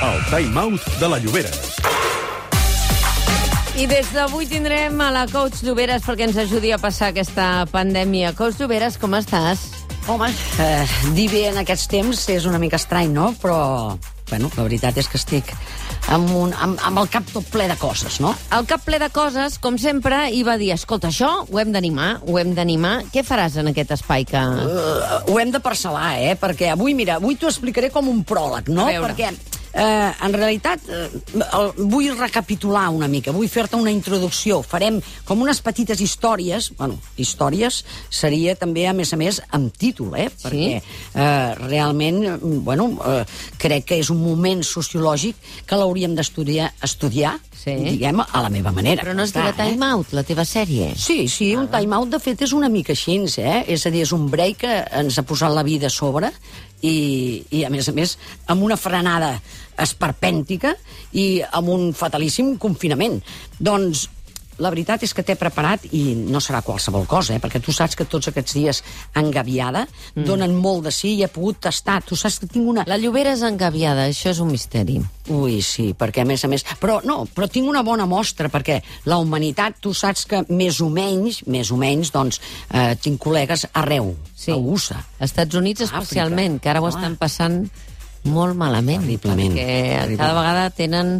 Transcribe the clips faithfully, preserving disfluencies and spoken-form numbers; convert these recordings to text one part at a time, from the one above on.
El Time Out de la Lloberes. I des d'avui tindrem a la coach Lloberes perquè ens ajudi a passar aquesta pandèmia. Coach Lloberes, com estàs? Home, eh, dir bé en aquests temps és una mica estrany, no? Però, bueno, la veritat és que estic amb, un, amb, amb el cap tot ple de coses, no? El cap ple de coses, com sempre, i va dir, escolta, això ho hem d'animar, ho hem d'animar. Què faràs en aquest espai que... Uh, ho hem de parcel·lar, eh? Perquè avui, mira, avui t'ho explicaré com un pròleg, no? Perquè... Eh, en realitat, eh, el, vull recapitular una mica, vull fer-te una introducció. Farem com unes petites històries, bueno, històries seria també, a més a més, amb títol, eh? Sí? Perquè eh, realment, bueno, eh, crec que és un moment sociològic que l'hauríem d'estudiar, estudiar, sí, diguem, a la meva manera. Però no es dirà eh? Time Out, la teva sèrie. Sí, sí, un Time Out, de fet, és una mica així, eh? És a dir, és un break que ens ha posat la vida a sobre i, i a més a més, amb una frenada esperpèntica i amb un fatalíssim confinament. Doncs la veritat és que t'he preparat, i no serà qualsevol cosa, eh? Perquè tu saps que tots aquests dies engaviada mm. donen molt de sí i he pogut tastar. Tu saps que tinc una... La Llobera és engaviada, això és un misteri. Ui, sí, perquè a més a més... Però no, però tinc una bona mostra, perquè la humanitat, tu saps que més o menys, més o menys, doncs, eh, tinc col·legues arreu, sí, a U S A. Als Estats Units especialment, Àfrica, que ara ho clar, estan passant molt malament. Terriblement. Perquè Terriblement. cada vegada tenen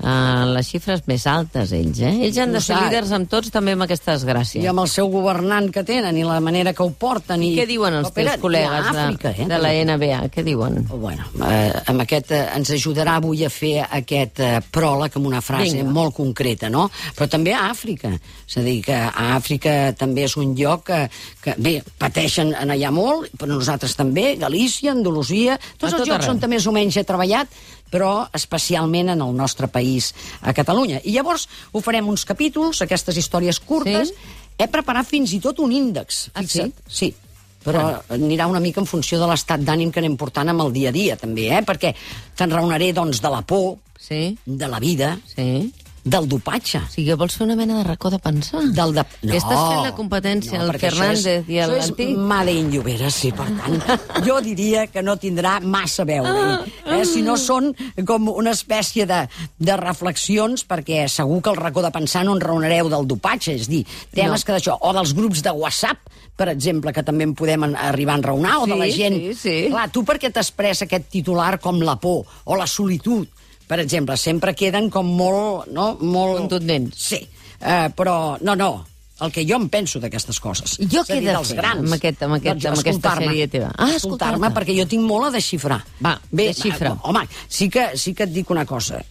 uh, les xifres més altes, ells, eh? Ells han de ser líders amb tots, també amb aquesta desgràcia. I amb el seu governant que tenen, i la manera que ho porten. I, I què diuen els teus col·legues Àfrica, de, eh? de la N B A? Què diuen? Bueno, eh, amb aquest, eh, ens ajudarà avui a fer aquest eh, pròleg amb una frase Vinga. molt concreta, no? Però també a Àfrica. És a dir, que a Àfrica també és un lloc que, que bé, pateixen en allà molt, però nosaltres també, Galícia, Andalusia, tots A els tot llocs arreu. on més o menys he treballat, però especialment en el nostre país, a Catalunya. I llavors ho farem uns capítols, aquestes històries curtes. Sí? He preparat fins i tot un índex. Ah, Fixa't. sí? Sí. Però anirà una mica en funció de l'estat d'ànim que anem portant amb el dia a dia, també, eh? Perquè t'enraonaré, doncs, de la por, Sí? de la vida, Sí? del dopatge. O sigui, vols fer una mena de racó de pensar? Del de... Que estàs fent la competència al perquè això Fernández és, i a això l'Antic. és Made in Lloberes, sí, per tant, jo diria que no tindrà massa a veure. Eh? Si no són com una espècie de, de reflexions, perquè segur que el racó de pensar no en raonareu del dopatge, és dir, temes No. que d'això, o dels grups de WhatsApp, per exemple, que també en podem en- arribar a enraonar, o Sí, de la gent... sí, sí. Clar, tu per què t'expressa aquest titular com la por o la solitud? Per exemple, sempre queden com molt... No? molt... Contundents. Sí, uh, però no, no, el que jo em penso d'aquestes coses. I jo És a què he dir, de dels fer grans. amb aquest- amb aquest- amb aquesta escoltar-me. sèrie teva? Ah, escoltar-me, escoltar-te. perquè jo tinc molt a desxifrar. Va, desxifra. Home, sí que, sí que et dic una cosa.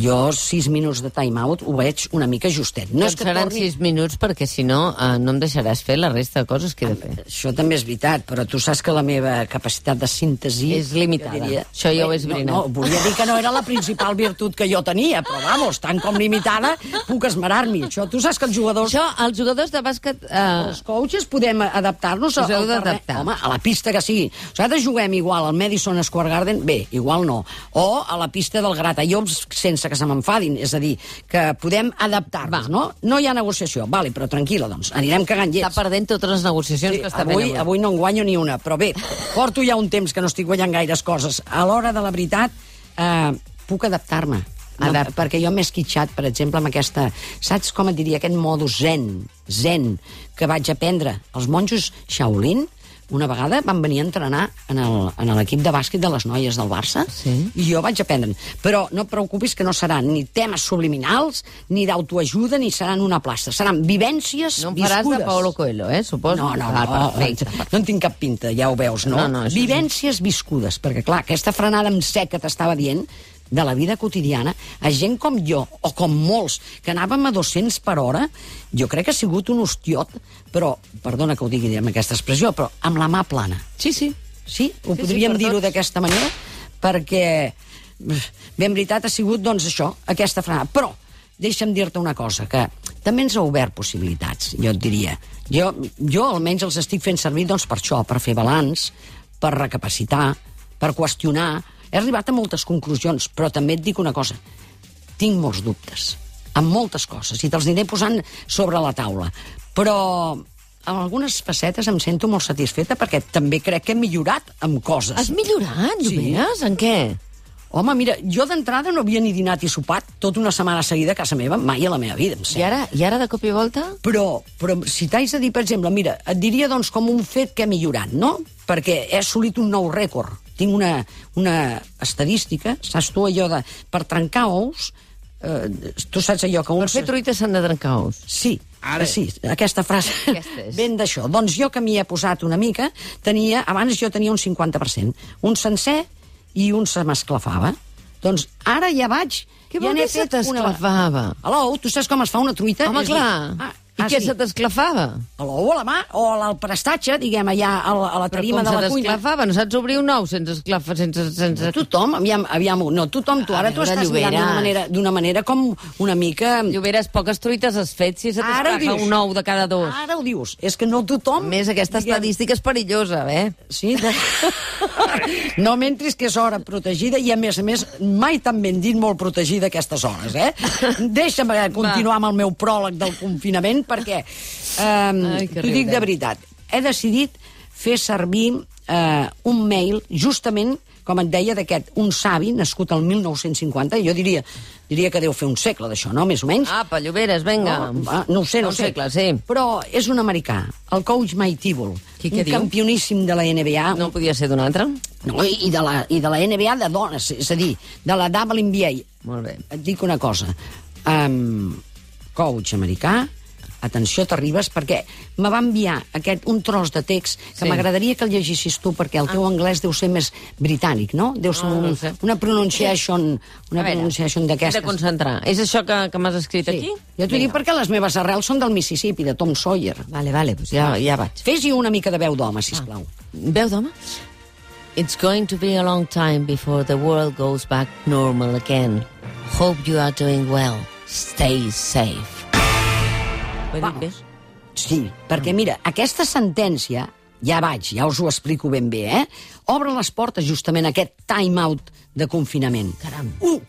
Jo, sis minuts de time out, ho veig una mica justet. No No és que seran torni... sis minuts, perquè si no, uh, no em deixaràs fer la resta de coses que he de fer. Això també és veritat, però tu saps que la meva capacitat de síntesi... És limitada. jo diria- Això ja ho he no, esbrinat. no, volia dir que no era la principal virtut que jo tenia, però vamos, tant com limitada, puc esmerar-m'hi. Això, tu saps que els jugadors... Això, els jugadors de bàsquet... Uh, Els coaches podem adaptar-nos Us heu al terreny. d'adaptar. Home, a la pista que sigui. Nosaltres juguem igual al Madison Square Garden, bé, igual no. O a la pista del Gratallops sense que se m'enfadin. És a dir, que podem adaptar-nos, Va. no? No hi ha negociació. Vale, però tranquil·la, doncs. Anirem cagant està llets. perdent totes les negociacions Sí, que està avui, fent avui. avui no en guanyo ni una, però bé, porto ja un temps que no estic guanyant gaires coses. A l'hora de la veritat, eh, puc adaptar-me. No, Adapta. perquè jo m'he esquitxat, per exemple, amb aquesta... Saps com et diria? Aquest modus zen, zen, que vaig aprendre. Els monjos Shaolin, una vegada van venir a entrenar en el- en l'equip de bàsquet de les noies del Barça, Sí. i jo vaig aprendre. Però no et preocupis que no seran ni temes subliminals, ni d'autoajuda, ni seran una plasta. Seran vivències No em faràs viscudes. de Paulo Coelho, eh, suposo? No, no, Ah, no, perfecte. no en tinc cap pinta, ja ho veus, no? No, no, això Vivències viscudes, perquè clar, aquesta frenada en sec que t'estava dient, de la vida quotidiana, a gent com jo, o com molts, que anàvem a dos-cents per hora, jo crec que ha sigut un hostiot, però, perdona que ho digui amb aquesta expressió, però amb la mà plana. Sí, sí. Sí? Ho Sí, sí, podríem per dir-ho tots. d'aquesta manera, perquè, bé, en veritat, ha sigut, doncs, això, aquesta frenada. Però, deixa'm dir-te una cosa, que també ens ha obert possibilitats, jo et diria. Jo, jo almenys els estic fent servir, doncs, per això, per fer balanç, per recapacitar, per qüestionar. He arribat a moltes conclusions, però també et dic una cosa. Tinc molts dubtes, amb moltes coses, i te'ls aniré posant sobre la taula. Però en algunes facetes em sento molt satisfeta perquè també crec que he millorat amb coses. Has millorat, Sí. Lloberes? En què? Home, mira, jo d'entrada no havia ni dinat i sopat tota una setmana seguida a casa meva, mai a la meva vida, em I sembla. ara, I ara de cop i volta? Però, però si t'haig de dir, per exemple, mira, et diria doncs com un fet que he millorat, no? Perquè he assolit un nou rècord. Tinc una, una estadística, saps tu allò de... Per trencar ous, eh, tu saps allò que... Per uns... fer truites s'han de trencar ous. Sí, ara sí, aquesta frase Aquesta és. ven d'això. Doncs jo que m'hi he posat una mica, tenia, abans jo tenia un cinquanta per cent. Un sencer i un se m'esclafava. Doncs ara ja vaig... Què ja vol n'he dir se fet una- t'esclafava? A l'ou, tu saps com es fa una truita? Home, És dir, clar. Ah, I ah, què sí. se t'esclafava? A l'ou, a la mà, o al prestatge, diguem, allà a la, a la Però tarima com de se la cuina. t'esclafava? No saps obrir un ou sense esclafar, sense... sense... Tothom, aviam, aviam, no, tothom, tu, A ara tu veure, estàs mirant d'una Lloberes. manera, d'una manera com una mica... Lloberes, poques truites has fet si se Ara ho t'esclafa dius. un ou de cada dos. Ara ho dius, és que no tothom... A més, aquesta diguem, estadística és perillosa, eh? Sí, de... no m'entris que és hora protegida i, a més a més, mai tan ben dit molt protegida a aquestes hores, eh? Deixa'm eh, continuar amb el meu pròleg del confinament perquè, eh, Ai, que t'ho dic riurem. de veritat, he decidit fer servir eh, un mail justament, com et deia, d'aquest, un savi nascut al mil nou-cents cinquanta, jo diria, diria que deu fer un segle d'això, no?, més o menys. Apa, Lloberes, vinga. No, va, no ho sé, no Un ho sé. segle, sí. Però és un americà, el coach Mike Tibble, Qui què un diu? campioníssim de la N B A, No podia ser d'un altre? no, i de, la, i de la N B A de dones, és a dir, de la W N B A. Molt bé. Et dic una cosa, um, coach americà, atenció, t'arribes, perquè me va enviar aquest, un tros de text que Sí. m'agradaria que el llegissis tu, perquè el teu anglès deu ser més britànic, no? Deu ser No, no un, sé. una pronunciation, una A veure, pronunciation He d'aquestes. de concentrar. És això que, que m'has escrit Sí. aquí? Jo t'ho dic perquè les meves arrels són del Mississippi, de Tom Sawyer. Vale, vale, doncs ja, ja vaig. Fes-hi una mica de veu d'home, sisplau. Veu d'home? It's going to be a long time before the world goes back normal again. Hope you are doing well. Stay safe. Ho he dit bé? Sí, perquè mira, aquesta sentència, ja vaig, ja us ho explico ben bé, eh? Obre les portes justament a aquest time-out de confinament. Caram. Un,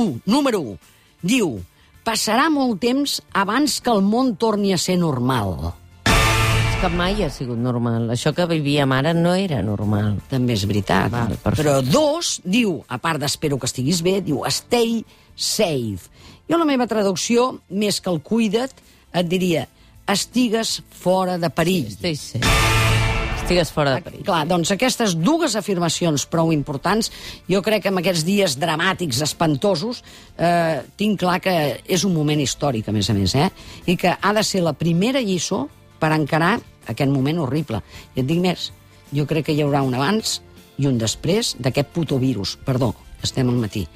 un, número un, diu, passarà molt temps abans que el món torni a ser normal. És que mai ha sigut normal. Això que vivíem ara no era normal. També és veritat. Val, perfecte. Però dos, diu, a part d'espero que estiguis bé, diu, stay safe. Jo la meva traducció, més que el cuida't, et diria, estigues fora de perill. Stay safe. Estigues fora de perill. Clar, doncs aquestes dues afirmacions prou importants, jo crec que en aquests dies dramàtics, espantosos, eh, tinc clar que és un moment històric, a més a més, eh? I que ha de ser la primera lliçó per encarar aquest moment horrible. I et dic més, jo crec que hi haurà un abans i un després d'aquest puto virus. Perdó, estem al matí.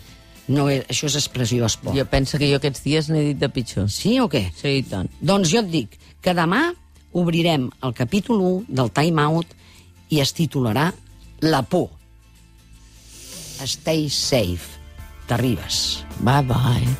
No és, això és expressió esport. Jo penso que jo aquests dies n'he dit de pitjor. Sí o què? Sí, i tant. Doncs jo et dic que demà obrirem el capítol u del Time Out i es titularà La por. Stay safe. T'arribes. Bye, bye.